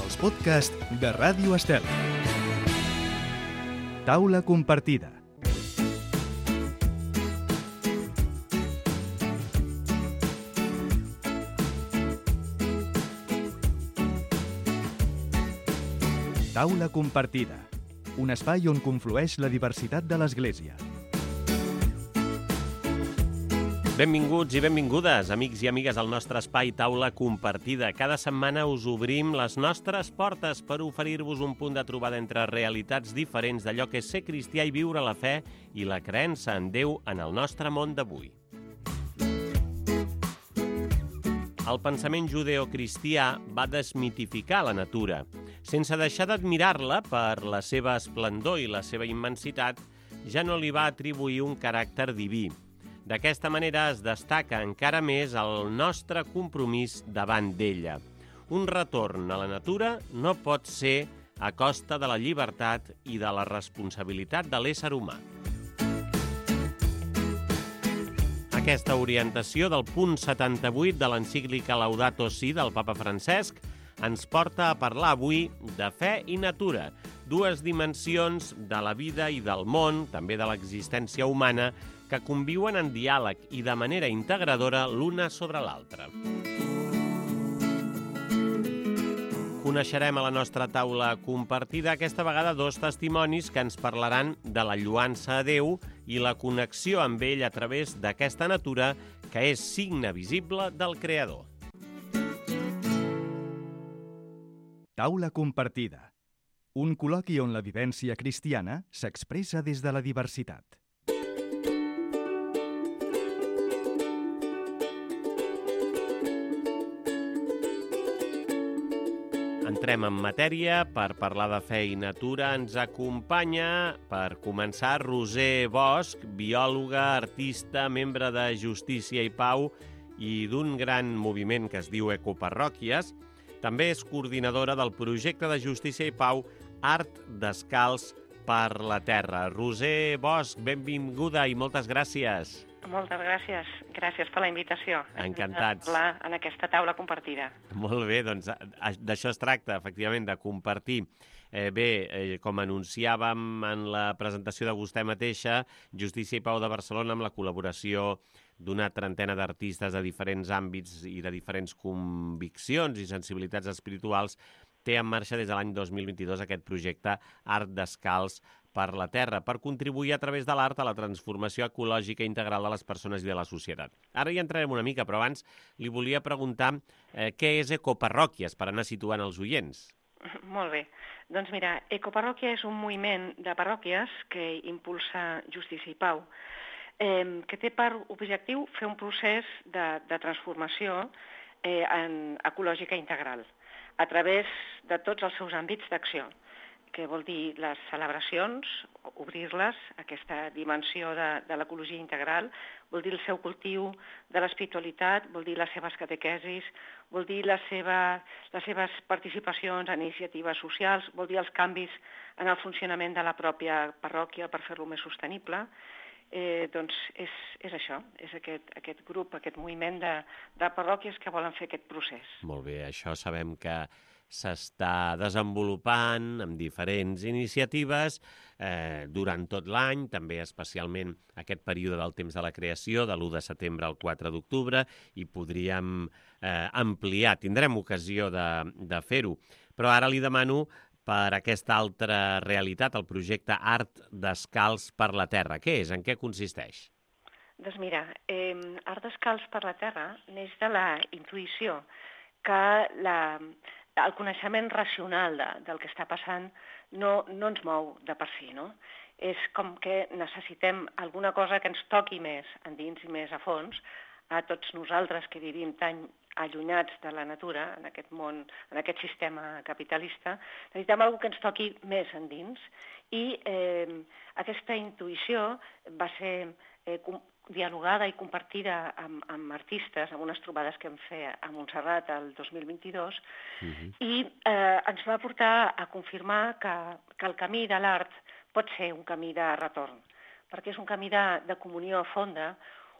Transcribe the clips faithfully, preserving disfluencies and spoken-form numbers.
els podcasts de Ràdio Estel. Taula compartida. Taula compartida, un espai on conflueix la diversitat de l'Església. Benvinguts i benvingudes, amics i amigues, al nostre espai Taula Compartida. Cada setmana us obrim les nostres portes per oferir-vos un punt de trobada entre realitats diferents d'allò que és ser cristià i viure la fe i la creença en Déu en el nostre món d'avui. El pensament judeocristià va desmitificar la natura. Sense deixar d'admirar-la per la seva esplendor i la seva immensitat, ja no li va atribuir un caràcter diví. D'aquesta manera es destaca encara més el nostre compromís davant d'ella. Un retorn a la natura no pot ser a costa de la llibertat i de la responsabilitat de l'ésser humà. Aquesta orientació del punt setanta-vuit de l'encíclica Laudato Si del papa Francesc ens porta a parlar avui de fe i natura, dues dimensions de la vida i del món, també de l'existència humana, que conviuen en diàleg i de manera integradora l'una sobre l'altra. Coneixerem a la nostra taula compartida aquesta vegada dos testimonis que ens parlaran de la lloança a Déu i la connexió amb ell a través d'aquesta natura que és signe visible del Creador. Taula compartida, un col·loqui on la vivència cristiana s'expressa des de la diversitat. Entrem en matèria. Per parlar de fe i natura ens acompanya, per començar, Roser Bosch, biòloga, artista, membre de Justícia i Pau i d'un gran moviment que es diu Ecoparròquies. També és coordinadora del projecte de Justícia i Pau Art Descalç per la Terra. Roser Bosch, benvinguda i moltes gràcies. Moltes gràcies. Gràcies per la invitació. Encantats. Parlar en aquesta taula compartida. Molt bé, doncs d'això es tracta, efectivament, de compartir. Eh, bé, eh, com anunciàvem en la presentació de vostè mateixa, Justícia i Pau de Barcelona, amb la col·laboració d'una trentena d'artistes de diferents àmbits i de diferents conviccions i sensibilitats espirituals, té en marxa des de l'any dos mil vint-i-dos aquest projecte Art Descalç per la Terra, per contribuir a través de l'art a la transformació ecològica integral de les persones i de la societat. Ara hi entrarem una mica, però abans li volia preguntar eh, què és Ecoparròquies, per anar situant els oients. Molt bé. Doncs mira, Ecoparròquia és un moviment de parròquies que impulsa Justícia i Pau, eh, que té per objectiu fer un procés de, de transformació eh, en ecològica integral a través de tots els seus àmbits d'acció, que vol dir les celebracions, obrir-les, aquesta dimensió de, de l'ecologia integral, vol dir el seu cultiu de l'espiritualitat, vol dir les seves catequesis, vol dir la seva, les seves participacions en iniciatives socials, vol dir els canvis en el funcionament de la pròpia parròquia per fer-lo més sostenible. Eh, doncs és, és això, és aquest, aquest grup, aquest moviment de, de parròquies que volen fer aquest procés. Molt bé, això sabem que s'està desenvolupant amb diferents iniciatives eh, durant tot l'any, també especialment aquest període del temps de la creació, de l'u de setembre al quatre d'octubre, i podríem eh, ampliar, tindrem ocasió de, de fer-ho. Però ara li demano per aquesta altra realitat, el projecte Art Descalç per la Terra. Què és? En què consisteix? Doncs mira, eh, Art Descalç per la Terra neix de la intuïció que la, el coneixement racional de, del que està passant no, no ens mou de per si, no? És com que necessitem alguna cosa que ens toqui més endins i més a fons a tots nosaltres que vivim tan allunyats de la natura, en aquest món, en aquest sistema capitalista, necessitem alguna que ens toqui més endins. I eh, aquesta intuïció va ser eh, dialogada i compartida amb, amb artistes, amb unes trobades que vam fer a Montserrat el dos mil vint-i-dos, uh-huh. i eh, ens va portar a confirmar que, que el camí de l'art pot ser un camí de retorn, perquè és un camí de, de comunió fonda,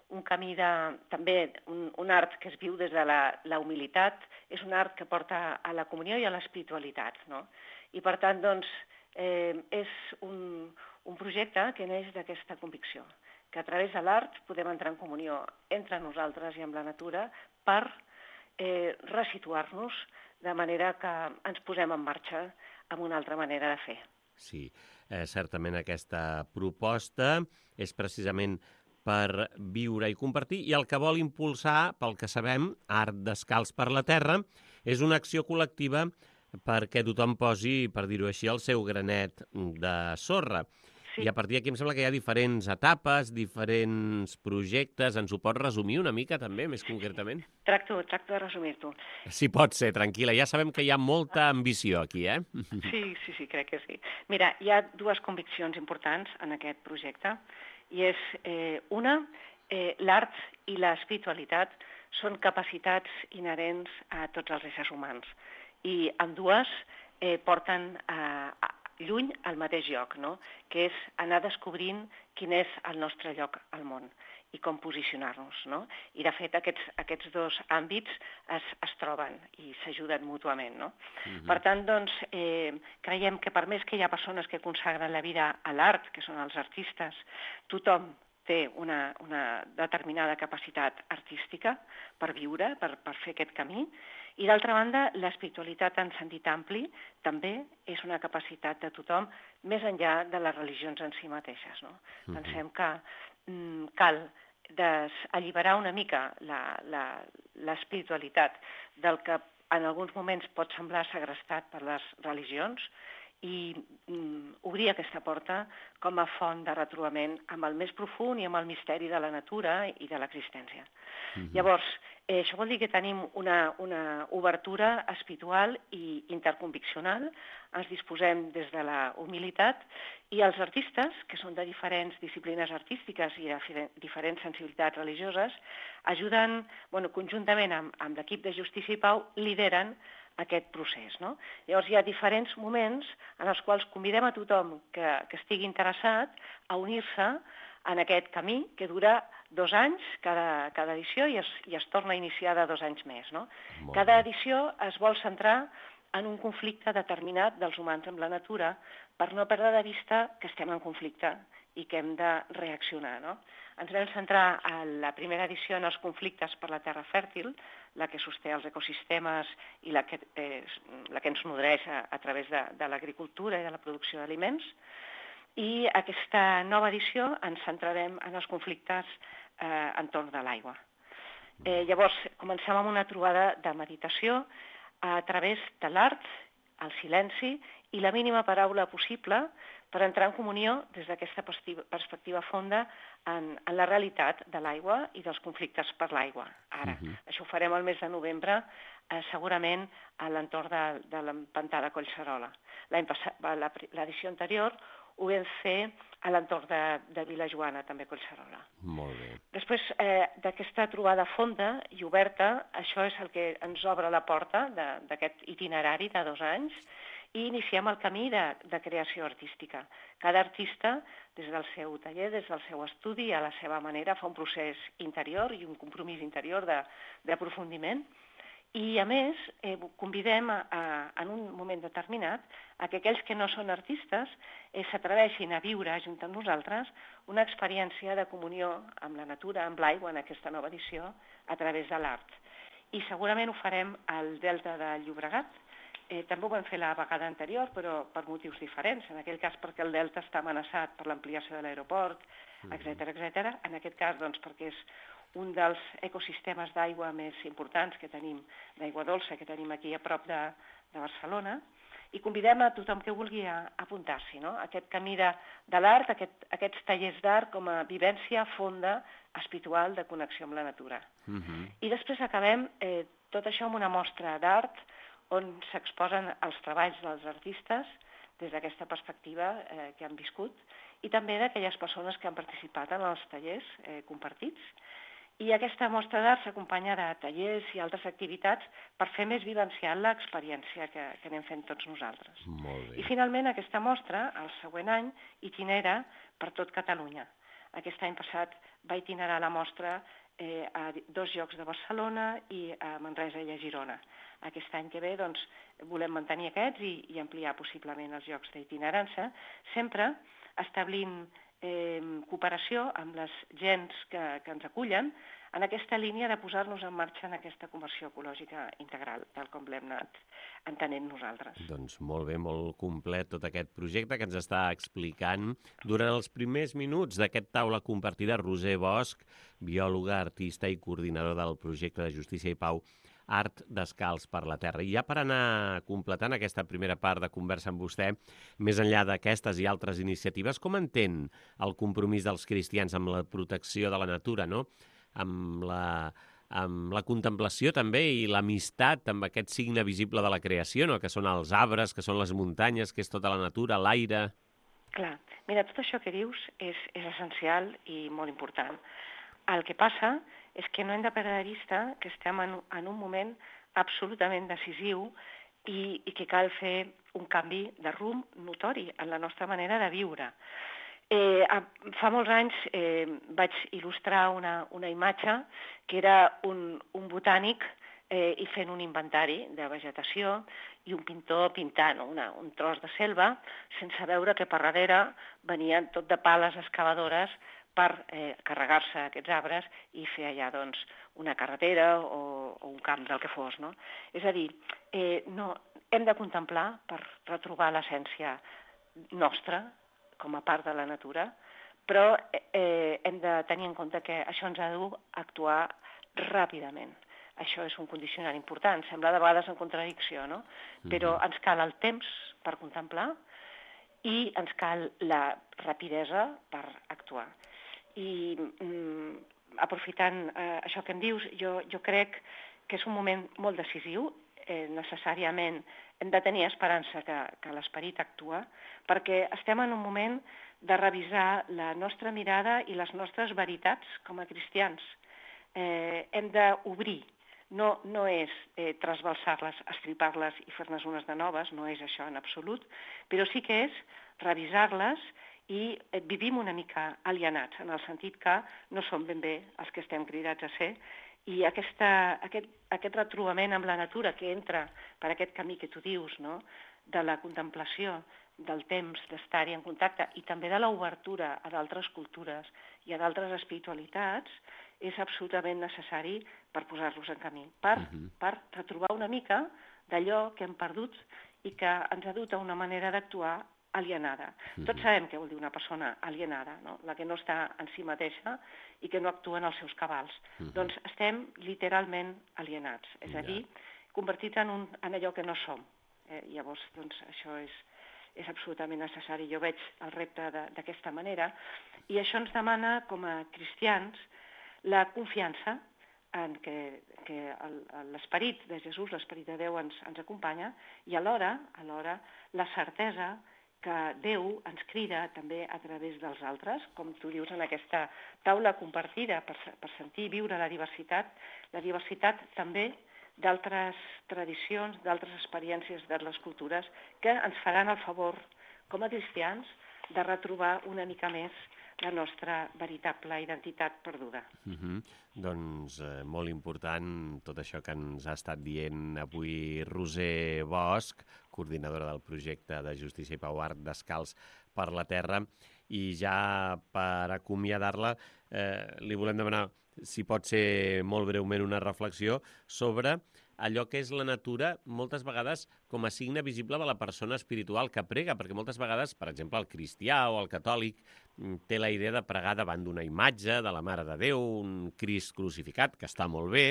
un camí de, també un, un art que es viu des de la, la humilitat, és un art que porta a la comunió i a l'espiritualitat, no? I per tant, doncs, eh, és un, un projecte que neix d'aquesta convicció, que a través de l'art podem entrar en comunió entre nosaltres i amb la natura per eh, resituar-nos de manera que ens posem en marxa amb una altra manera de fer. Sí, eh, certament aquesta proposta és precisament per viure i compartir, i el que vol impulsar, pel que sabem, Art Descalç per la Terra, és una acció col·lectiva perquè tothom posi, per dir-ho així, el seu granet de sorra. Sí. I a partir d'aquí em sembla que hi ha diferents etapes, diferents projectes. Ens ho pots resumir una mica també, més concretament? Tracto, tracto de resumir-t'ho. Sí, pot ser, tranquil·la. Ja sabem que hi ha molta ambició aquí, eh? Sí, sí, sí, crec que sí. Mira, hi ha dues conviccions importants en aquest projecte, i és eh, una, eh, l'art i l'espiritualitat són capacitats inherents a tots els éssers humans, i ambdues eh, porten a, a, lluny al mateix lloc, no? Que és anar descobrint quin és el nostre lloc al món i com posicionar-nos, no? I, de fet, aquests, aquests dos àmbits es, es troben i s'ajuden mútuament, no? Uh-huh. Per tant, doncs, eh, creiem que per més que hi ha persones que consagren la vida a l'art, que són els artistes, tothom té una, una determinada capacitat artística per viure, per, per fer aquest camí, i d'altra banda, l'espiritualitat en sentit ampli també és una capacitat de tothom, més enllà de les religions en si mateixes, no? Uh-huh. Pensem que mm, cal alliberar una mica l'espiritualitat del que en alguns moments pot semblar segrestat per les religions, i mm, obrir aquesta porta com a font de retrobament amb el més profund i amb el misteri de la natura i de l'existència. Mm-hmm. Llavors, eh, això vol dir que tenim una, una obertura espiritual i interconviccional, ens disposem des de la humilitat, i els artistes, que són de diferents disciplines artístiques i de diferents sensibilitats religioses, ajuden, bueno, conjuntament amb, amb l'equip de Justícia i Pau, lideren aquest procés, no? Llavors hi ha diferents moments en els quals convidem a tothom que, que estigui interessat a unir-se en aquest camí que dura dos anys cada, cada edició i es, i es torna a iniciar de dos anys més, no? Cada edició es vol centrar en un conflicte determinat dels humans amb la natura per no perdre de vista que estem en conflicte i que hem de reaccionar, no? Ens vam centrar a la primera edició en els conflictes per la terra fèrtil, la que sosté els ecosistemes i la que, eh, la que ens nodreix a, a través de, de l'agricultura i de la producció d'aliments. I aquesta nova edició ens centrarem en els conflictes eh, entorn de l'aigua. Eh, llavors, comencem amb una trobada de meditació a través de l'art, el silenci i la mínima paraula possible per entrar en comunió des d'aquesta perspectiva fonda en, en la realitat de l'aigua i dels conflictes per l'aigua. Ara, uh-huh. Això ho farem el mes de novembre, eh, segurament a l'entorn de, de l'Empantà de Collserola. L'any passat, l'edició anterior ho vam fer a l'entorn de, de Vilajoana, també a Collserola. Molt bé. Després eh, d'aquesta trobada fonda i oberta, això és el que ens obre la porta d'aquest itinerari de dos anys, i iniciem el camí de, de creació artística. Cada artista, des del seu taller, des del seu estudi, a la seva manera, fa un procés interior i un compromís interior d'aprofundiment. I, a més, eh, convidem a, a, en un moment determinat a que aquells que no són artistes eh, s'atreveixin a viure junt amb nosaltres una experiència de comunió amb la natura, amb l'aigua, en aquesta nova edició, a través de l'art. I segurament ho farem al Delta de Llobregat. Eh, també ho vam fer la vegada anterior, però per motius diferents. En aquell cas perquè el delta està amenaçat per l'ampliació de l'aeroport, etcètera, etcètera. En aquest cas, doncs, perquè és un dels ecosistemes d'aigua més importants que tenim, d'aigua dolça, que tenim aquí a prop de, de Barcelona, i convidem a tothom que vulgui a, a apuntar-s'hi, no? Aquest camí de, de l'art, aquest, aquests tallers d'art com a vivència fonda, espiritual, de connexió amb la natura. Uh-huh. I després acabem eh, tot això amb una mostra d'art on s'exposen els treballs dels artistes des d'aquesta perspectiva eh, que han viscut, i també d'aquelles persones que han participat en els tallers eh, compartits. I aquesta mostra d'art s'acompanya de tallers i altres activitats per fer més vivencial l'experiència que, que anem fent tots nosaltres. Molt bé. I finalment aquesta mostra, el següent any, itinera per tot Catalunya. Aquest any passat va itinerar la mostra eh, a dos llocs de Barcelona i a Manresa i a Girona. Aquest any que ve doncs, volem mantenir aquests i, i ampliar possiblement els llocs d'itinerància, sempre establint eh, cooperació amb les gens que, que ens acullen en aquesta línia de posar-nos en marxa en aquesta conversió ecològica integral, tal com l'hem anat entenent nosaltres. Doncs molt bé, molt complet tot aquest projecte que ens està explicant durant els primers minuts d'aquest taula compartida Roser Bosch, biòloga, artista i coordinador del projecte de Justícia i Pau Art Descalç per la Terra. I ja per anar completant aquesta primera part de conversa amb vostè, més enllà d'aquestes i altres iniciatives, com entén el compromís dels cristians amb la protecció de la natura, no? amb la, amb la contemplació també i l'amistat amb aquest signe visible de la creació, no? Que són els arbres, que són les muntanyes, que és tota la natura, l'aire... Clar, mira, tot això que dius és, és essencial i molt important. El que passa és que no hem de perdre de vista que estem en, en un moment absolutament decisiu i, i que cal fer un canvi de rumb notori en la nostra manera de viure. Eh, fa molts anys eh, vaig il·lustrar una, una imatge que era un, un botànic eh, i fent un inventari de vegetació i un pintor pintant una, un tros de selva sense veure que per darrere venien tot de pales excavadores per eh, carregar-se aquests arbres i fer allà doncs, una carretera o, o un camp del que fos. No? És a dir, eh, no, hem de contemplar per retrobar l'essència nostra com a part de la natura, però eh, hem de tenir en compte que això ens ha d'actuar ràpidament. Això és un condicionant important, sembla de vegades en contradicció, no? Però ens cal el temps per contemplar i ens cal la rapidesa per actuar. I mm, aprofitant eh, això que em dius, jo, jo crec que és un moment molt decisiu, eh, necessàriament hem de tenir esperança que, que l'esperit actua, perquè estem en un moment de revisar la nostra mirada i les nostres veritats com a cristians. Eh, hem d'obrir, no, no és eh, trasbalsar-les, estripar-les i fer-ne unes de noves, no és això en absolut, però sí que és revisar-les i eh, vivim una mica alienats, en el sentit que no som ben bé els que estem cridats a ser, i aquesta, aquest, aquest retrobament amb la natura que entra per aquest camí que tu dius, no? De la contemplació, del temps, d'estar-hi en contacte i també de l'obertura a d'altres cultures i a d'altres espiritualitats, és absolutament necessari per posar-los en camí, per, uh-huh. per retrobar una mica d'allò que hem perdut i que ens ha dut a una manera d'actuar alienada. Uh-huh. Tots sabem què vol dir una persona alienada, no? La que no està en si mateixa i que no actua en els seus cabals. Uh-huh. Doncs estem literalment alienats, és yeah. a dir, convertits en, un, en allò que no som. Eh, llavors, doncs, això és, és absolutament necessari. Jo veig el repte d'aquesta manera i això ens demana, com a cristians, la confiança en que, que l'esperit de Jesús, l'esperit de Déu ens, ens acompanya i alhora, alhora la certesa que Déu ens crida també a través dels altres, com tu dius en aquesta taula compartida per, per sentir i viure la diversitat, la diversitat també d'altres tradicions, d'altres experiències de les cultures que ens faran el favor, com a cristians, de retrobar una mica més la nostra veritable identitat perduda. Uh-huh. Doncs eh, molt important tot això que ens ha estat dient avui Roser Bosch, coordinadora del projecte de Justícia i Pau Art Descalç per la Terra. I ja per acomiadar-la, eh, li volem demanar si pot ser molt breument una reflexió sobre allò que és la natura moltes vegades com a signe visible de la persona espiritual que prega, perquè moltes vegades, per exemple, el cristià o el catòlic té la idea de pregar davant d'una imatge de la Mare de Déu, un Crist crucificat, que està molt bé,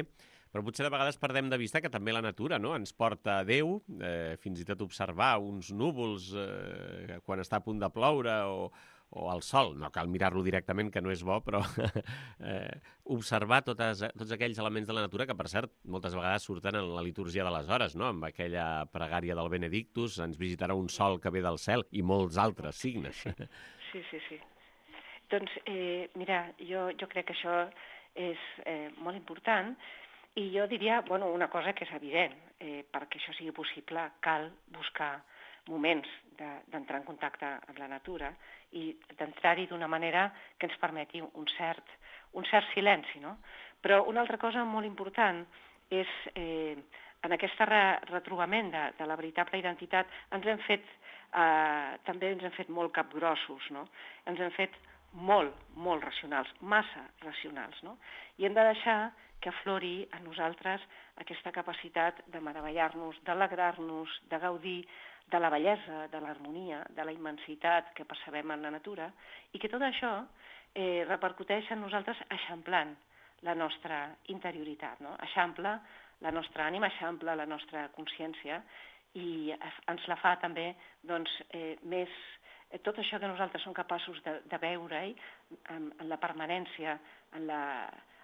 però potser de vegades perdem de vista que també la natura, no?, ens porta a Déu, eh, fins i tot observar uns núvols eh, quan està a punt de ploure o, o el sol, no cal mirar-lo directament, que no és bo, però eh, observar totes, tots aquells elements de la natura que, per cert, moltes vegades surten en la litúrgia de les hores, no?, amb aquella pregària del Benedictus, ens visitarà un sol que ve del cel, i molts altres signes. Sí, sí, sí. Doncs, eh, mira, jo, jo crec que això és eh, molt important i jo diria, bueno, una cosa que és evident, eh, perquè això sigui possible cal buscar moments d'entrar en contacte amb la natura i d'entrar-hi d'una manera que ens permeti un cert, un cert silenci, no? Però una altra cosa molt important és, eh, en aquest re retrobament de, de la veritable identitat, ens hem fet, eh, també ens hem fet molt capgrossos, no? Ens hem fet molt, molt racionals, massa racionals, no? I hem de deixar que aflori a nosaltres aquesta capacitat de meravellar-nos, d'alegrar-nos, de gaudir de la bellesa, de l'harmonia, de la immensitat que percebem en la natura, i que tot això eh, repercuteix en nosaltres eixamplant la nostra interioritat, no? Eixampla la nostra ànima, eixampla la nostra consciència i ens la fa també doncs, eh, més... Eh, tot això que nosaltres som capaços de, de veure-hi en, en la permanència, en la,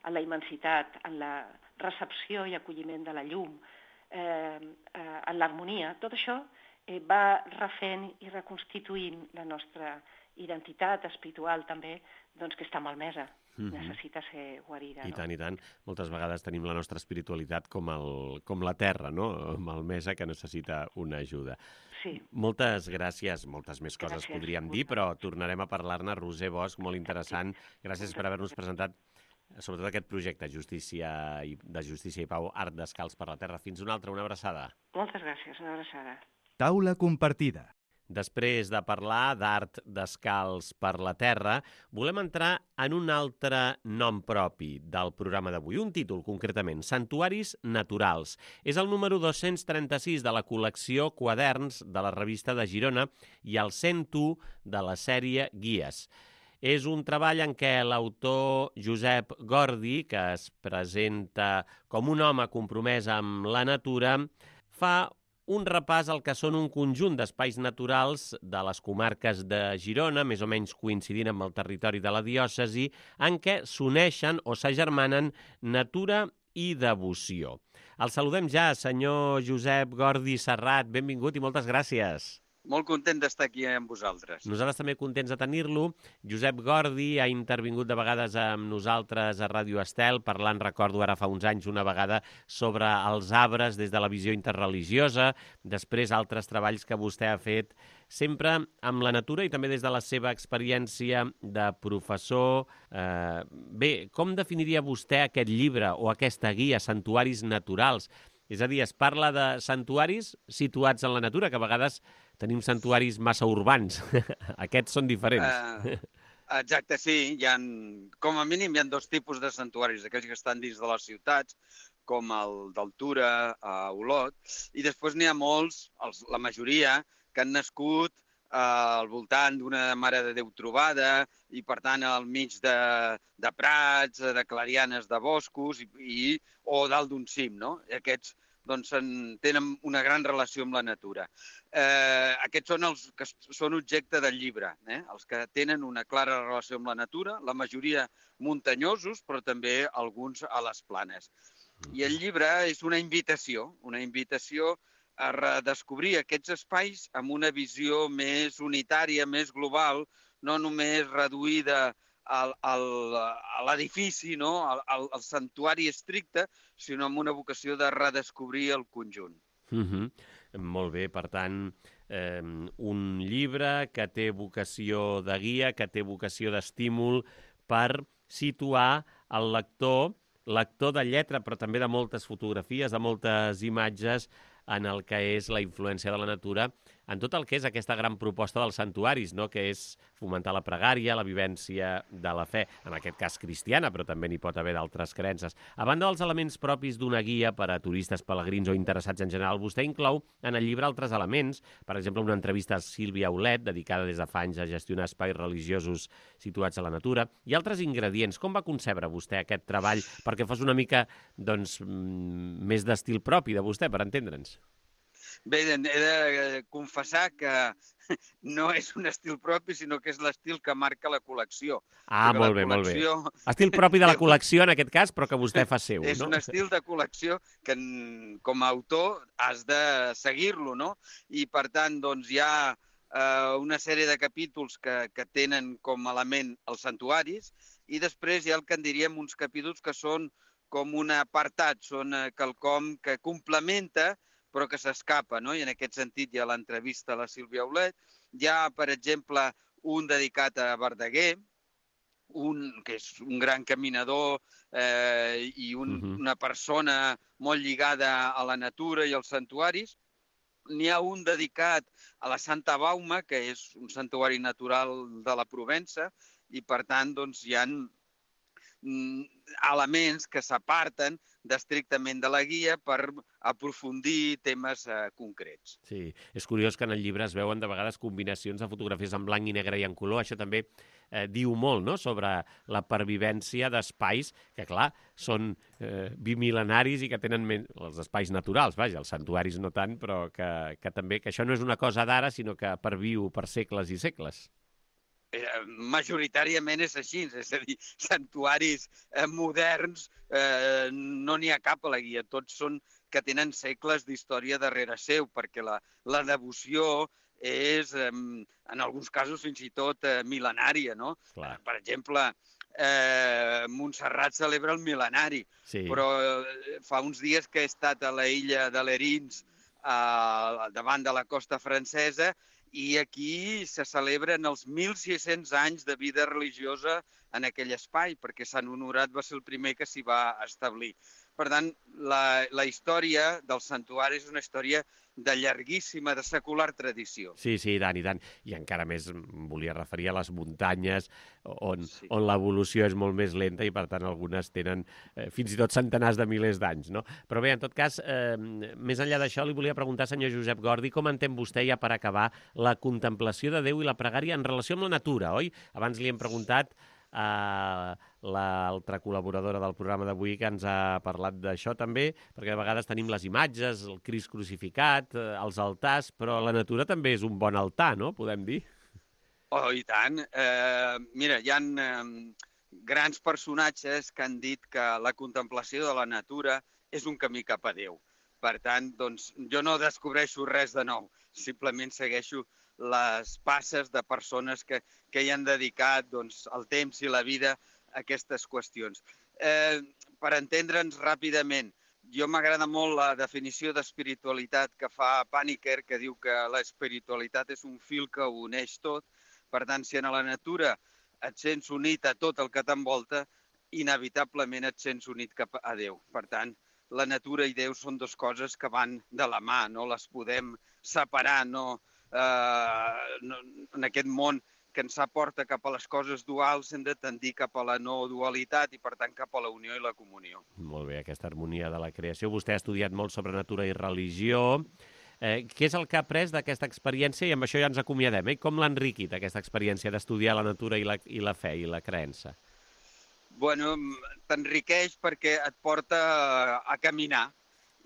en la immensitat, en la recepció i acolliment de la llum, eh, eh, en l'harmonia, tot això eh, va refent i reconstituint la nostra identitat espiritual també, doncs que està malmesa. Mm-hmm. Necessita ser guarida. I no? tant, i tant. Moltes vegades tenim la nostra espiritualitat com, el, com la terra, no? Malmesa, que necessita una ajuda. Sí. Moltes gràcies, moltes més coses Gràcies. podríem dir, però tornarem a parlar-ne. Roser Bosch, molt interessant. Gràcies per haver-nos presentat sobretot aquest projecte justícia i, de Justícia i Pau, Art Descalç per la Terra. Fins una altra, una abraçada. Moltes gràcies, una abraçada. Taula compartida. Després de parlar d'art descalç per la terra, volem entrar en un altre nom propi del programa d'avui, un títol concretament, Santuaris Naturals. És el número dos-cents trenta-sis de la col·lecció Quaderns de la revista de Girona i el cent u de la sèrie Guies. És un treball en què l'autor Josep Gordi, que es presenta com un home compromès amb la natura, fa un repàs al que són un conjunt d'espais naturals de les comarques de Girona, més o menys coincidint amb el territori de la diòcesi, en què s'uneixen o s'agermanen natura i devoció. El saludem ja, senyor Josep Gordi Serrat. Benvingut i moltes gràcies. Molt content d'estar aquí amb vosaltres. Nosaltres també contents de tenir-lo. Josep Gordi ha intervingut de vegades amb nosaltres a Ràdio Estel, parlant, recordo ara fa uns anys, una vegada sobre els arbres des de la visió interreligiosa, després altres treballs que vostè ha fet, sempre amb la natura i també des de la seva experiència de professor. Eh, bé, com definiria vostè aquest llibre o aquesta guia, Santuaris Naturals? És a dir, es parla de santuaris situats en la natura, que a vegades tenim santuaris massa urbans. Aquests són diferents. Uh, exacte, sí. Hi ha, com a mínim hi ha dos tipus de santuaris, aquells que estan dins de les ciutats, com el d'Altura, a Olot, i després n'hi ha molts, els, la majoria, que han nascut uh, al voltant d'una Mare de Déu trobada i, per tant, al mig de, de prats, de clarianes de boscos i, i, o dalt d'un cim, no? I aquests doncs, tenen una gran relació amb la natura. Eh, aquests són els que són objecte del llibre, eh? Els que tenen una clara relació amb la natura, la majoria muntanyosos, però també alguns a les planes. I el llibre és una invitació, una invitació a redescobrir aquests espais amb una visió més unitària, més global, no només reduïda al, al, a l'edifici, no? al, al, al santuari estricte, sinó amb una vocació de redescobrir el conjunt. Mm-hmm. Molt bé, per tant, eh, un llibre que té vocació de guia, que té vocació d'estímul per situar el lector, lector de lletra, però també de moltes fotografies, de moltes imatges, en el que és la influència de la natura, en tot el que és aquesta gran proposta dels santuaris, no? Que és fomentar la pregària, la vivència de la fe, en aquest cas cristiana, però també n'hi pot haver d'altres creences. A banda dels elements propis d'una guia per a turistes, pelegrins o interessats en general, vostè inclou en el llibre altres elements, per exemple, una entrevista a Sílvia Aulet, dedicada des de fa anys a gestionar espais religiosos situats a la natura, i altres ingredients. Com va concebre vostè aquest treball perquè fos una mica doncs, més d'estil propi de vostè, per entendre'ns? Bé, he de confessar que no és un estil propi, sinó que és l'estil que marca la col·lecció. Ah, Perquè molt bé, col·lecció... molt bé. Estil propi de la col·lecció, en aquest cas, però que vostè fa seu, és no? És un estil de col·lecció que, com a autor, has de seguir-lo, no? I, per tant, doncs, hi ha eh, una sèrie de capítols que, que tenen com a element els santuaris i després hi ha el que en diríem uns capítols que són com un apartat, són quelcom que complementa però que s'escapa, no? I en aquest sentit hi ha l'entrevista a la Sílvia Aulet. Hi ha, per exemple, un dedicat a Verdaguer, un que és un gran caminador eh, i un, uh-huh. una persona molt lligada a la natura i als santuaris. N'hi ha un dedicat a la Santa Bauma, que és un santuari natural de la Provença, i per tant doncs, hi ha elements que s'aparten d'estrictament de la guia per aprofundir temes eh, concrets. Sí, és curiós que en el llibre es veuen de vegades combinacions de fotografies en blanc i negre i en color. Això també eh, diu molt, no?, sobre la pervivència d'espais que, clar, són eh, bimilenaris i que tenen men... els espais naturals, vaja, els santuaris no tant, però que, que també que això no és una cosa d'ara, sinó que perviu per segles i segles. Majoritàriament és així, és a dir, santuaris eh, moderns eh, no n'hi ha cap a la guia, tots són que tenen segles d'història darrere seu, perquè la, la devoció és, eh, en alguns casos, fins i tot eh, mil·lenària, no? Clar. Per exemple, eh, Montserrat celebra el mil·lenari, sí. Però eh, fa uns dies que he estat a la illa de Lerins, eh, davant de la costa francesa, i aquí se celebren els mil sis-cents anys de vida religiosa en aquell espai, perquè Sant Honorat va ser el primer que s'hi va establir. Per tant, la, la història del santuari és una història de llarguíssima, de secular tradició. Sí, sí, i tant, i tant. I encara més em volia referir a les muntanyes, on, sí. on l'evolució és molt més lenta i, per tant, algunes tenen eh, fins i tot centenars de milers d'anys, no? Però bé, en tot cas, eh, més enllà d'això, li volia preguntar, senyor Josep Gordi, com entén vostè, ja per acabar, la contemplació de Déu i la pregària en relació amb la natura, oi? Abans li hem preguntat a l'altra col·laboradora del programa d'avui que ens ha parlat d'això també, perquè de vegades tenim les imatges, el Crist crucificat, els altars, però la natura també és un bon altar, no?, podem dir? Oh, i tant. Eh, mira, hi ha eh, grans personatges que han dit que la contemplació de la natura és un camí cap a Déu. Per tant, doncs, jo no descobreixo res de nou, simplement segueixo les passes de persones que, que hi han dedicat doncs, el temps i la vida a aquestes qüestions. Eh, per entendre'ns ràpidament, jo m'agrada molt la definició d'espiritualitat que fa Paniker, que diu que l'espiritualitat és un fil que ho uneix tot. Per tant, si en la natura et sents unit a tot el que t'envolta, inevitablement et sents unit cap a Déu. Per tant, la natura i Déu són dues coses que van de la mà, no les podem separar, no... Uh, no, en aquest món que ens aporta cap a les coses duals hem de tendir cap a la no dualitat i, per tant, cap a la unió i la comunió. Molt bé, aquesta harmonia de la creació. Vostè ha estudiat molt sobre natura i religió. Eh, què és el que ha après d'aquesta experiència? I amb això ja ens acomiadem. Eh? Com l'ha enriquit, aquesta experiència d'estudiar la natura i la, i la fe i la creença? Bueno, t'enriqueix perquè et porta a caminar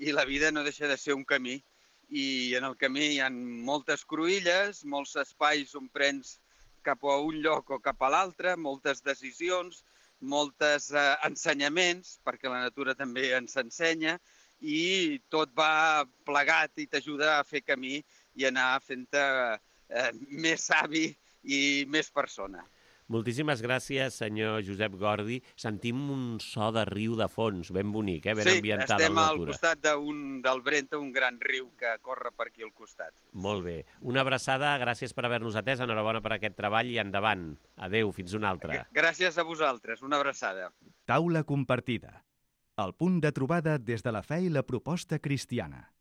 i la vida no deixa de ser un camí. I en el camí hi ha moltes cruïlles, molts espais on prens cap a un lloc o cap a l'altre, moltes decisions, molts eh, ensenyaments, perquè la natura també ens ensenya, i tot va plegat i t'ajuda a fer camí i anar fent-te eh, més savi i més persona. Moltíssimes gràcies, senyor Josep Gordi. Sentim un so de riu de fons, ben bonic, eh? Ben sí, ambientat a la natura. Sí, estem al costat d'un, del Brenta, un gran riu que corre per aquí al costat. Molt bé. Una abraçada, gràcies per haver-nos atès, enhorabona per aquest treball i endavant. Adéu, fins una altra. Gràcies a vosaltres, una abraçada. Taula compartida. El punt de trobada des de la fe i la proposta cristiana.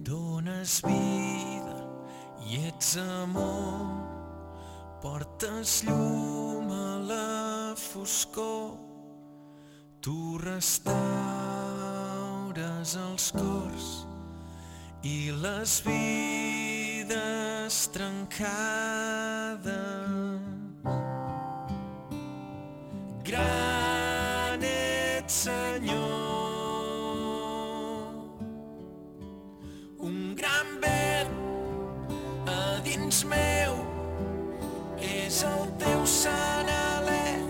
Dones vida i ets amor, portes llum a la foscor, tu restaures els cors i les vides trencades. Gran ets, Senyor, un gran vent a dins meu, és el teu sant alè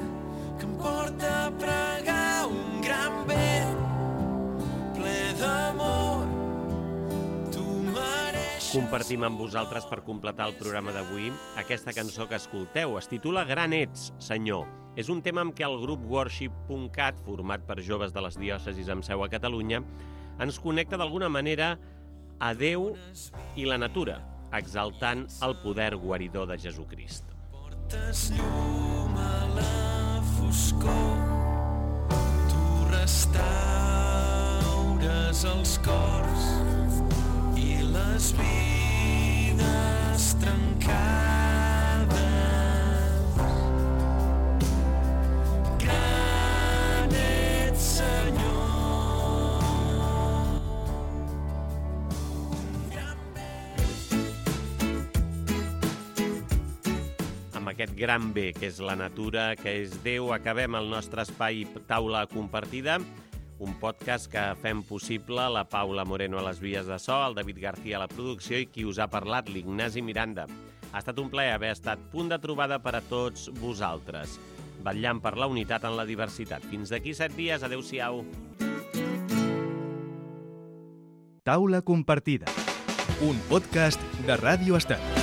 que em porta a pregar, un gran vent ple d'amor, tu mereixes... Compartim amb vosaltres per completar el programa d'avui aquesta cançó que escolteu. Es titula Gran ets, Senyor. És un tema amb què el grup worship punt cat, format per joves de les diòcesis amb seu a Catalunya, ens connecta d'alguna manera a Déu i la natura, exaltant el poder guaridor de Jesucrist. Portes llum a la foscor, tu restaures els cors i les vides trencades. Gran ets, Senyor. Amb aquest gran bé que és la natura, que és Déu, acabem el nostre espai Taula Compartida, un podcast que fem possible la Paula Moreno a les vies de so, el David García a la producció i qui us ha parlat, l'Ignasi Miranda. Ha estat un plaer haver estat punt de trobada per a tots vosaltres, vetllant per la unitat en la diversitat. Fins d'aquí set dies, adeu-siau. Taula Compartida, un podcast de Ràdio Estat.